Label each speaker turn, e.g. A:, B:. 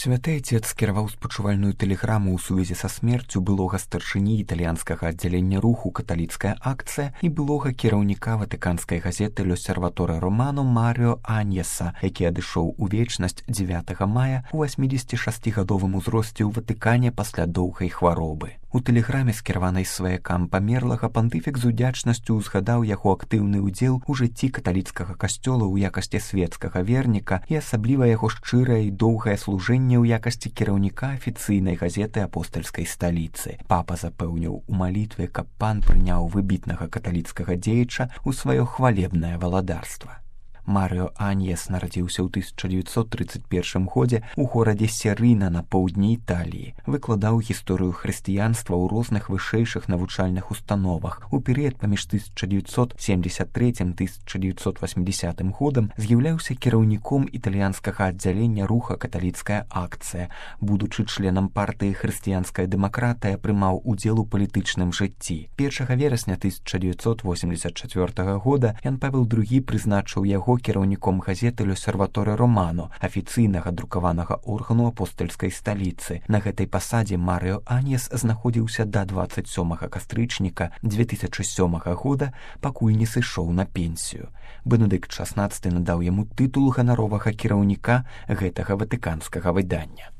A: Святы Отец скіраваў спачувальную тэлеграму ў сувязі са смерцю былога старшыні італьянскага аддзялення руху «Каталіцкая акцыя» і былога кіраўніка ватыканскай газеты «L'Osservatore Romano» Маріо Аньеса, які адышоў у вечнасць 9 мая у 86-гадовым узросце ў Ватыкане пасля доўгай хваробы. У тэлеграме, скіраванай сваякам памерлага, пантыфік з удзячнасцю ўзгадаў яго актыўны ўдзел у жыцці каталіцкага касцёла ў якасці свецкага верніка і асабліва яго шчырае і доўгае служэнне ў якасці кіраўніка афіцыйнай газеты апостальскай сталіцы. Папа запэўніў у малітве, каб пан прыняў выбітнага каталіцкага дзеяча ў сваё хвалебнае валадарства. Маріо Аньес нарадзіўся ў 1931 годзе ў горадзе Серына на поўдні Італіі. Выкладаў гісторыю хрысціянства ў розных вышэйшых навучальных установах. У перыяд паміж 1973-1980 годам з'яўляўся кіраўніком італьянскага аддзялення руха «Каталіцкая акцыя». Будучы членам партыі «Хрысціянская дэмакратыя», прымаў удзел у палітычным жыцці. 1 верасня 1984 года Ян Павел II прызначыў яго кіраўніком газеты «L'Osservatore Romano», афіцыйнага друкаванага органу апостальскай сталіцы. На гэтай пасадзе Маріо Аньес знаходзіўся да 27 кастрычніка 2007 года, пакуль не сышоў на пенсію. Бенедыкт XVI надаў яму тытул ганаровага кіраўніка гэтага ватыканскага выдання.